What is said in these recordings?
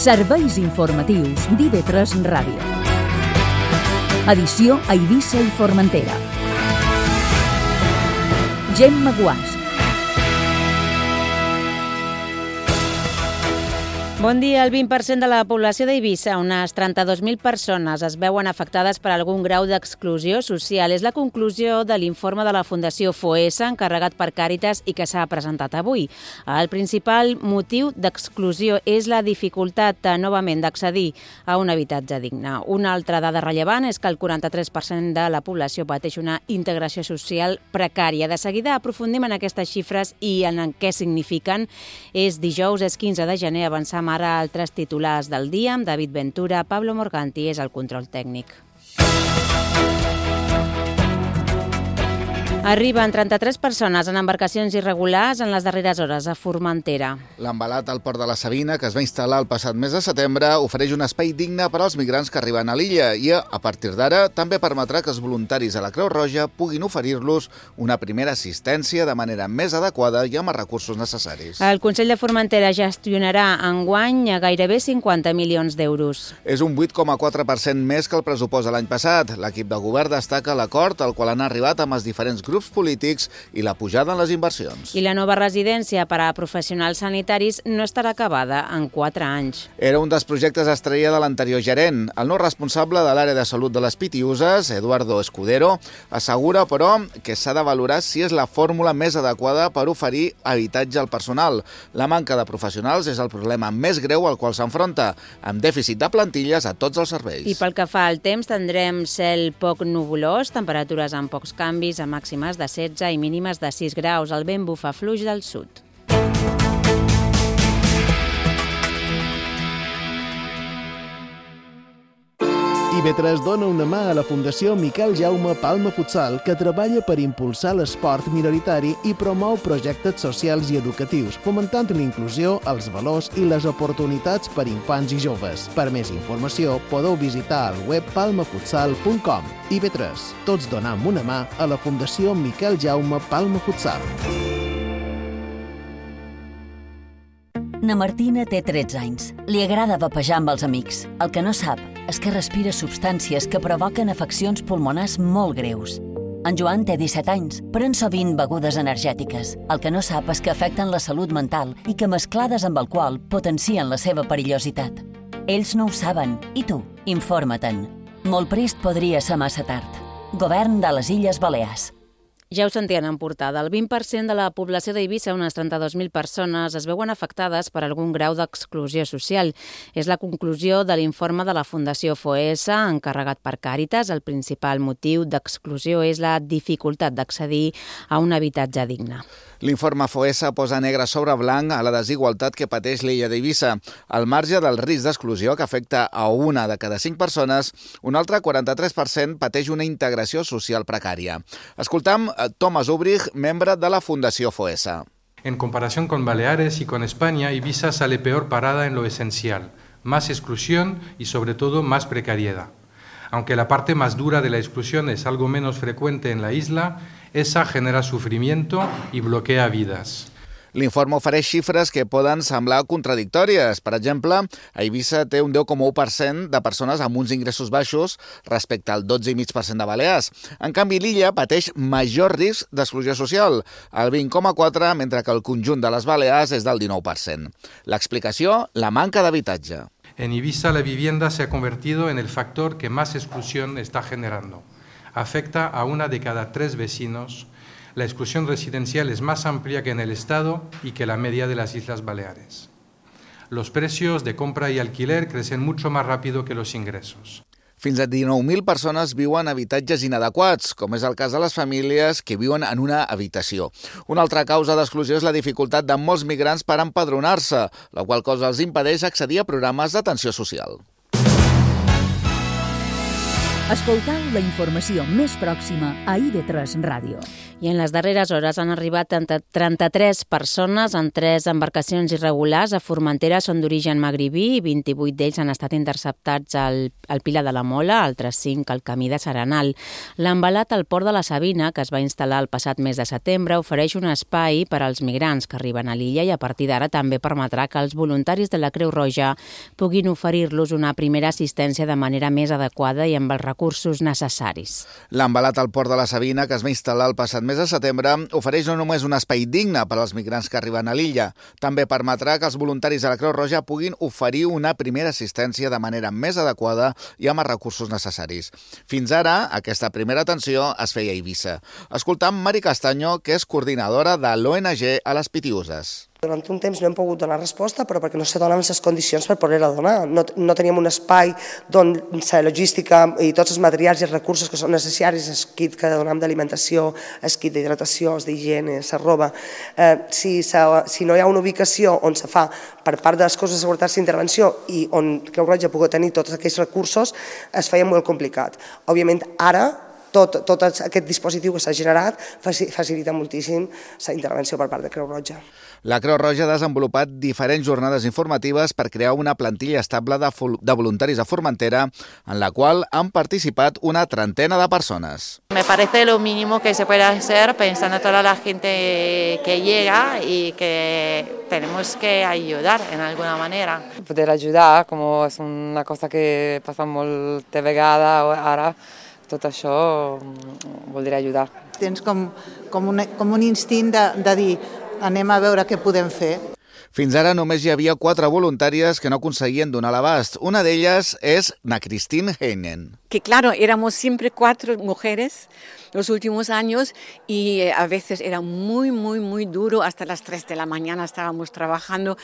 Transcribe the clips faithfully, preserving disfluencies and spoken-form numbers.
Serveis informatius d'I V tres Ràdio. Edició a Eivissa i Formentera. Gemma Guàs. Bon dia. El vint per cent de la població d'Eivissa, unes trenta-dos mil persones, es veuen afectades per algun grau d'exclusió social. És la conclusió de l'informe de la Fundació FOESA, encarregat per Càritas i que s'ha presentat avui. El principal motiu d'exclusió és la dificultat, novament, d'accedir a un habitatge digne. Una altra dada rellevant és que el quaranta-tres per cent de la població pateix una integració social precària. De seguida aprofundim en aquestes xifres i en què signifiquen. És dijous, és quinze de gener, avançam ara altres titulars del dia amb David Ventura. Pablo Morganti és el control tècnic. Arriben trenta-tres persones en embarcacions irregulars en les darreres hores a Formentera. L'embalat al port de la Sabina, que es va instal·lar el passat mes de setembre, ofereix un espai digne per als migrants que arriben a l'illa i, a partir d'ara, també permetrà que els voluntaris a la Creu Roja puguin oferir-los una primera assistència de manera més adequada i amb els recursos necessaris. El Consell de Formentera gestionarà enguany a gairebé cinquanta milions d'euros. És un vuit coma quatre per cent més que el pressupost de l'any passat. L'equip de govern destaca l'acord al qual han arribat amb els diferents grups polítics i la pujada en les inversions. I la nova residència per a professionals sanitaris no estarà acabada en quatre anys. Era un dels projectes estrella de l'anterior gerent. El nou responsable de l'àrea de salut de les Pitiuses, Eduardo Escudero, assegura, però, que s'ha de valorar si és la fórmula més adequada per oferir habitatge al personal. La manca de professionals és el problema més greu al qual s'enfronta, amb dèficit de plantilles a tots els serveis. I pel que fa al temps, tindrem cel poc nuvolós, temperatures amb pocs canvis, a màximes de setze i mínimes de sis graus. El vent bufa fluix del sud. I V tres dona una mà a la Fundació Miquel Jaume Palma Futsal, que treballa per impulsar l'esport minoritari i promou projectes socials i educatius, fomentant l'inclusió, els valors i les oportunitats per infants i joves. Per més informació, podeu visitar el web palma futsal punt com. I V tres, tots donam una mà a la Fundació Miquel Jaume Palma Futsal. Na Martina té tretze anys. Li agrada vapejar amb els amics. El que no sap és que respira substàncies que provoquen afeccions pulmonars molt greus. En Joan té disset anys, pren sovint begudes energètiques. El que no sap és que afecten la salut mental i que mesclades amb alcohol potencien la seva perillositat. Ells no ho saben. I tu? Informa-te'n. Molt prest podria ser massa tard. Govern de les Illes Balears. Ja ho sentien en portada. El vint per cent de la població d'Eivissa, unes trenta-dos mil persones, es veuen afectades per algun grau d'exclusió social. És la conclusió de l'informe de la Fundació FOESA, encarregat per Càritas. El principal motiu d'exclusió és la dificultat d'accedir a un habitatge digne. L'informe FOESA posa negre sobre blanc a la desigualtat que pateix l'illa d'Eivissa. Al marge del risc d'exclusió que afecta a una de cada cinc persones, un altre quaranta-tres per cent pateix una integració social precària. Escoltam Tomás Ubrich, membre de la Fundació FOESA. En comparación con Baleares y con España, Ibiza sale peor parada en lo esencial, más exclusión y sobre todo más precariedad. Aunque la parte más dura de la exclusión es algo menos frecuente en la isla, esa genera sufrimiento y bloquea vidas. L'informe ofereix xifres que poden semblar contradictòries. Per exemple, a Eivissa té un deu coma u per cent de persones amb uns ingressos baixos respecte al dotze coma cinc per cent de Balears. En canvi, l'illa pateix major risc d'exclusió social, el vint coma quatre per cent, mentre que el conjunt de les Balears és del dinou per cent. L'explicació, la manca d'habitatge. En Ibiza la vivienda se ha convertido en el factor que más exclusión está generando. Afecta a una de cada tres vecinos. La exclusión residencial es más amplia que en el Estado y que la media de las Islas Baleares. Los precios de compra y alquiler crecen mucho más rápido que los ingresos. Fins a dinou mil persones viuen en habitatges inadequats, com és el cas de les famílies que viuen en una habitació. Una altra causa d'exclusió és la dificultat de molts migrants per empadronar-se, la qual cosa els impedeix accedir a programes d'atenció social. Escoltau la informació més pròxima a I V tres Ràdio. I en les darreres hores han arribat trenta-tres persones en tres embarcacions irregulars a Formentera. Són d'origen magribí i vint-i-vuit d'ells han estat interceptats al, al Pilar de la Mola, altres cinc al camí de Serenal. L'embalat al port de la Sabina, que es va instal·lar el passat mes de setembre, ofereix un espai per als migrants que arriben a l'illa i a partir d'ara també permetrà que els voluntaris de la Creu Roja puguin oferir-los una primera assistència de manera més adequada i amb els recursos necessaris. L'embalat al port de la Sabina, que es va instal·lar el passat mes de setembre, ofereix no només un espai digne per als migrants que arriben a l'illa, també permetrà que els voluntaris de la Creu Roja puguin oferir una primera assistència de manera més adequada i amb els recursos necessaris. Fins ara, aquesta primera atenció es feia a Eivissa. Escoltam Mari Castaño, que és coordinadora de l'O N G a les Pitiüses. Durant un temps no hem pogut donar resposta, però perquè no se donen les condicions per poder-la donar. No, no teníem un espai on la logística i tots els materials i els recursos que són necessaris, el kit que donem d'alimentació, el kit d'hidratació, el d'higiene, la roba. Eh, si, si no hi ha una ubicació on se fa per part de les coses de seguretat d'intervenció i on Creu Roja pugui tenir tots aquells recursos, es feia molt complicat. Òbviament, ara, tot, tot aquest dispositiu que s'ha generat facilita moltíssim la intervenció per part de Creu Roja. La Creu Roja ha desenvolupat diferents jornades informatives per crear una plantilla estable de, de voluntaris a Formentera, en la qual han participat una trentena de persones. Me parece lo mínimo que se puede hacer pensando en toda la gente que llega y que tenemos que ayudar en alguna manera. Poder ayudar, como es una cosa que pasa moltes vegades ara, tot això vol dir ajudar. Tens com, com, un, com un instint de, de dir anem a veure què podem fer. Fins ara només hi havia quatre voluntàries que no aconseguien donar l'abast. Una d'elles és na Christine Heinen. Que claro, éramos siempre cuatro mujeres los últimos años y a veces era muy, muy, muy duro. Hasta las tres de la mañana estábamos trabajando.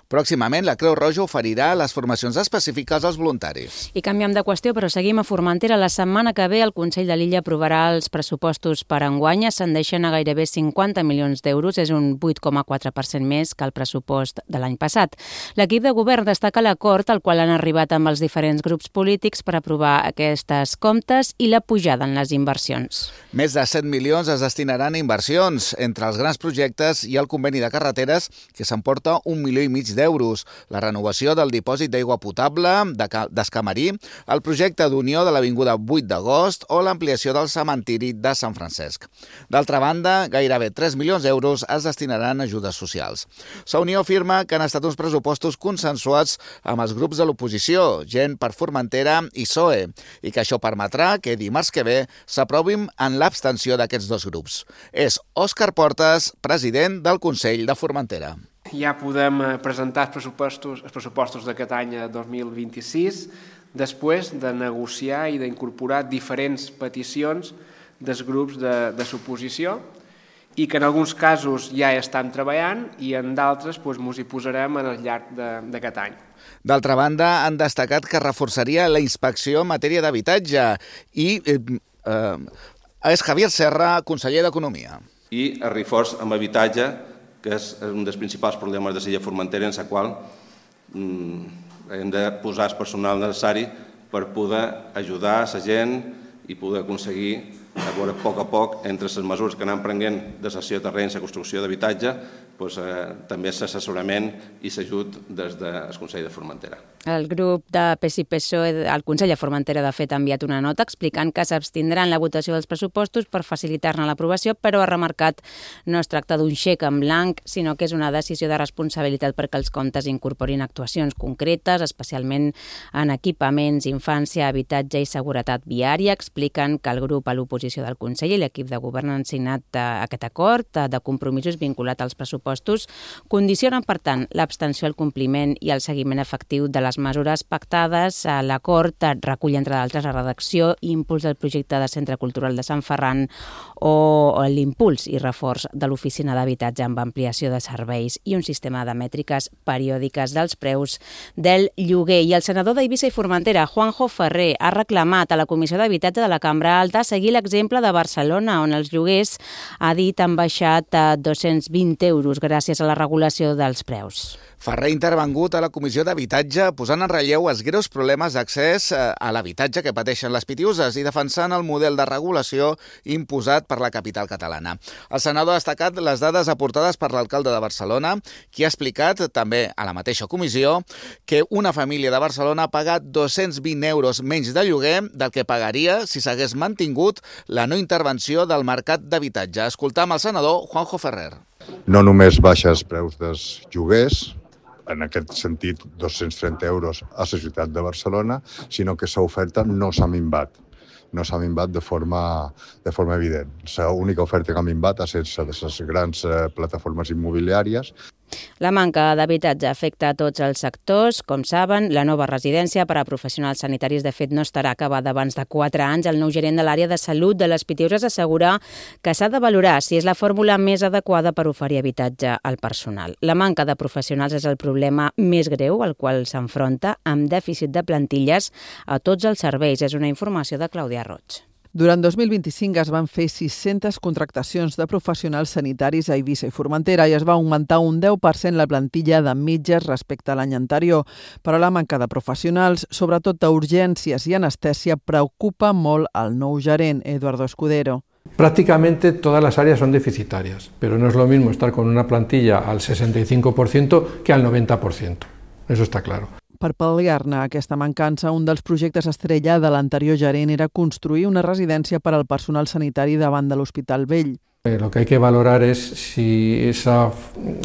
Pròximament, la Creu Roja oferirà les formacions específiques als voluntaris. I canviem de qüestió, però seguim a Formentera. La setmana que ve el Consell de l'Illa aprovarà els pressupostos per enguany. Ascendeixen a gairebé cinquanta milions d'euros, és un vuit coma quatre per cent més que el pressupost de l'any passat. L'equip de govern destaca l'acord al qual han arribat amb els diferents grups polítics per aprovar aquestes comptes i la pujada en les inversions. Més de set milions es destinaran a inversions, entre els grans projectes i el conveni de carreteres, que s'emporta un milió i mig d'euros, la renovació del dipòsit d'aigua potable d'Escamarí, el projecte d'unió de l'Avinguda vuit d'agost o l'ampliació del cementiri de Sant Francesc. D'altra banda, gairebé tres milions d'euros es destinaran a ajudes socials. La Unió afirma que han estat uns pressupostos consensuats amb els grups de l'oposició, Gent per Formentera i P S O E, i que això permetrà que dimarts que ve s'aprovin en l'abstenció d'aquests dos grups. És Òscar Portes, president del Consell de Formentera. Ja podem presentar els pressupostos, els pressupostos d'aquest any dos mil vint-i-sis després de negociar i d'incorporar diferents peticions dels grups de, de l'oposició i que en alguns casos ja estan treballant i en d'altres doncs, ens hi posarem al llarg d'aquest any. D'altra banda, han destacat que reforçaria la inspecció en matèria d'habitatge i eh, eh, és Javier Serra, conseller d'Economia. I el reforç amb habitatge, que és un dels principals problemes de l'illa Formentera, en la qual mm, hem de posar el personal necessari per poder ajudar a la gent i poder aconseguir, a veure, a poc a poc, entre les mesures que anem prenent de cessió de terrenys, la construcció d'habitatge, doncs, eh, també l'assessorament i l'ajut des del Consell de Formentera. El grup de P S I P S O E, el Consell de Formentera, de fet, ha enviat una nota explicant que s'abstindran la votació dels pressupostos per facilitar-ne l'aprovació, però ha remarcat no es tracta d'un xec en blanc, sinó que és una decisió de responsabilitat perquè els comptes incorporin actuacions concretes, especialment en equipaments, infància, habitatge i seguretat viària. Expliquen que el grup a l'oposició del Consell i l'equip de govern han signat aquest acord de compromisos vinculat als pressupostos, condicionen, per tant, l'abstenció al compliment i el seguiment efectiu de les mesures pactades. L'acord recull, entre d'altres, la redacció i impuls del projecte de Centre Cultural de Sant Ferran o l'impuls i reforç de l'oficina d'habitatge amb ampliació de serveis i un sistema de mètriques periòdiques dels preus del lloguer. I el senador d'Eivissa i Formentera, Juanjo Ferrer, ha reclamat a la Comissió d'Habitatge de la Cambra Alta seguir l'execució l'exemple de Barcelona, on els lloguers, ha dit, han baixat a dos-cents vint euros gràcies a la regulació dels preus. Ferrer ha intervengut a la Comissió d'Habitatge posant en relleu els greus problemes d'accés a l'habitatge que pateixen les pitiuses i defensant el model de regulació imposat per la capital catalana. El senador ha destacat les dades aportades per l'alcalde de Barcelona, qui ha explicat també a la mateixa comissió que una família de Barcelona ha pagat dos-cents vint euros menys de lloguer del que pagaria si s'hagués mantingut la no intervenció del mercat d'habitatge. Escoltam el senador Juanjo Ferrer. No només baixes preus dels lloguers, en aquest sentit dos-cents trenta euros a la ciutat de Barcelona, sinó que l'oferta no s'ha minvat. No s'ha minvat de forma, de forma evident. L'única oferta que ha minvat ha estat de les grans plataformes immobiliàries. La manca d'habitatge afecta a tots els sectors. Com saben, la nova residència per a professionals sanitaris de fet no estarà acabada abans de quatre anys. El nou gerent de l'àrea de salut de les Pitiuses assegura que s'ha de valorar si és la fórmula més adequada per oferir habitatge al personal. La manca de professionals és el problema més greu al qual s'enfronta, amb dèficit de plantilles a tots els serveis. És una informació de Clàudia Roig. Durant dos mil vint-i-cinc es van fer sis-centes contractacions de professionals sanitaris a Eivissa i Formentera i es va augmentar un deu per cent la plantilla de metges respecte a l'any anterior. Però la manca de professionals, sobretot a urgències i anestèsia, preocupa molt al nou gerent, Eduardo Escudero. Prácticamente todas las áreas son deficitarias, pero no es lo mismo estar con una plantilla al sesenta y cinco por ciento que al noventa por ciento. Eso está claro. Per pal·liar-ne aquesta mancança, un dels projectes estrella de l'anterior gerent era construir una residència per al personal sanitari davant de l'Hospital Vell. Lo que hay que valorar es si esa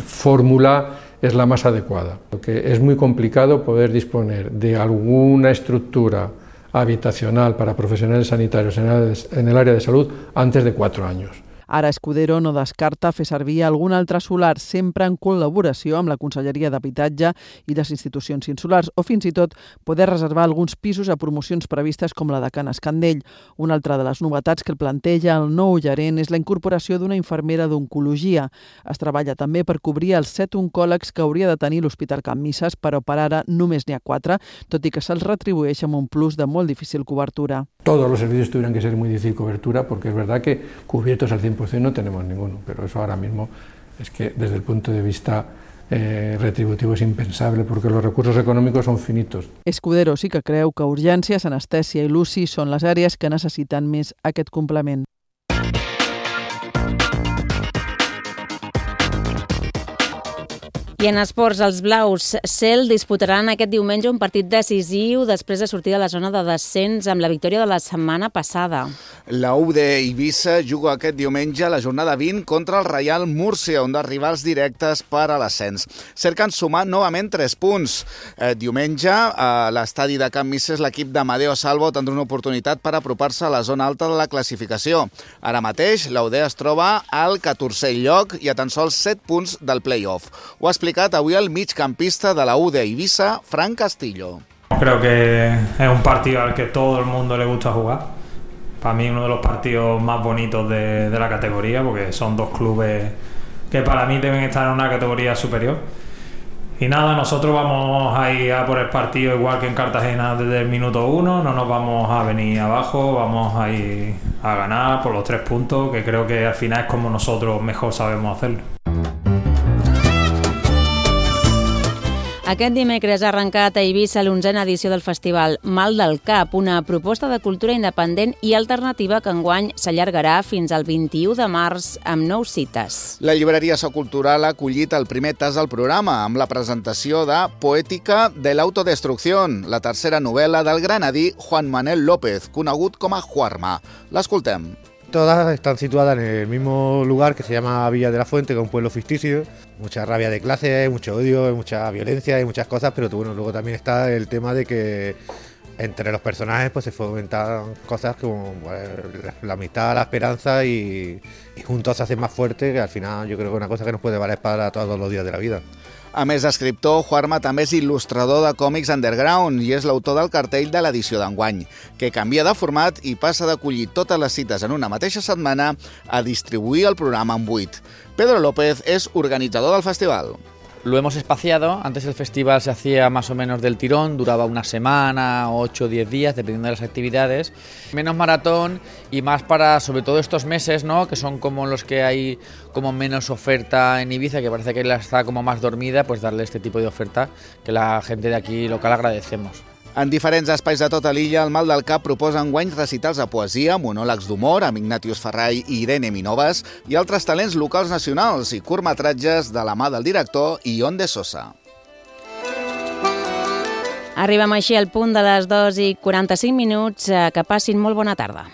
fórmula es la más adecuada, porque es muy complicado poder disponer de alguna estructura habitacional para profesionales sanitarios en el área de salud antes de cuatro años. Ara Escudero no descarta fer servir algun altre solar, sempre en col·laboració amb la Conselleria d'Habitatge i les institucions insulars, o fins i tot poder reservar alguns pisos a promocions previstes com la de Can Escandell. Una altra de les novetats que el planteja el nou gerent és la incorporació d'una infermera d'oncologia. Es treballa també per cobrir els set oncòlegs que hauria de tenir l'Hospital Can Misses, però per ara només n'hi ha quatre, tot i que se'ls retribueix amb un plus de molt difícil cobertura. Todos los servicios tuvieran que ser muy difícil cobertura, porque es verdad que cubiertos al cien por ciento no tenemos ninguno, pero eso ahora mismo es que desde el punto de vista eh, retributivo es impensable, porque los recursos económicos son finitos. Escudero sí que creu que urgències, anestèsia i l'U C I són les àrees que necessiten més aquest complement. I en esports, els blaus Cel disputaran aquest diumenge un partit decisiu després de sortir de la zona de descens amb la victòria de la setmana passada. La U D Eivissa juga aquest diumenge a la jornada vint contra el Reial Múrcia, un dels rivals directes per a l'ascens. Cerquen sumar novament tres punts. Eh, diumenge, a l'estadi de Can Misses, l'equip d'Amadeo Salvo tindrà una oportunitat per apropar-se a la zona alta de la classificació. Ara mateix, la U D es troba al catorzè lloc i a tan sols set punts del play-off. Ho ha explicat avui el migcampista de la U D Eivissa, Fran Castillo. Creo que es un partido al que todo el mundo le gusta jugar. Para mí uno de los partidos más bonitos de, de la categoría, porque son dos clubes que para mí deben estar en una categoría superior. Y nada, nosotros vamos a ir a por el partido igual que en Cartagena desde el minuto uno, no nos vamos a venir abajo, vamos a ir a ganar por los tres puntos, que creo que al final es como nosotros mejor sabemos hacerlo. Aquest dimecres ha arrencat a Eivissa l'onzena edició del festival Mal del Cap, una proposta de cultura independent i alternativa que enguany s'allargarà fins al vint-i-u de març amb nou cites. La llibreria Socultural ha acollit el primer tas del programa amb la presentació de Poética de l'autodestrucció, la tercera novel·la del granadí Juan Manuel López, conegut com a Juarma. L'escoltem. Todas están situadas en el mismo lugar que se llama Villa de la Fuente, que es un pueblo ficticio. Mucha rabia de clase, mucho odio, mucha violencia y muchas cosas, pero bueno, luego también está el tema de que entre los personajes pues se fomentan cosas como pues, la amistad, la esperanza y, y juntos se hacen más fuertes, que al final yo creo que es una cosa que nos puede valer para todos los días de la vida. A més d'escriptor, Juarma també és il·lustrador de còmics underground i és l'autor del cartell de l'edició d'enguany, que canvia de format i passa d'acollir totes les cites en una mateixa setmana a distribuir el programa en vuit. Pedro López és organitzador del festival. Lo hemos espaciado. Antes el festival se hacía más o menos del tirón, duraba una semana, ocho o diez días, dependiendo de las actividades. Menos maratón y más para, sobre todo estos meses, ¿no?, que son como los que hay como menos oferta en Ibiza, que parece que la está como más dormida, pues darle este tipo de oferta que la gente de aquí local agradecemos. En diferents espais de tota l'illa, el Mal del Cap proposa enguany recitals de poesia, monòlegs d'humor amb Ignatius Ferrai i Irene Minovas i altres talents locals nacionals i curtmetratges de la mà del director Ion de Sosa. Arribem així al punt de les dos i quaranta-cinc minuts. Que passin molt bona tarda.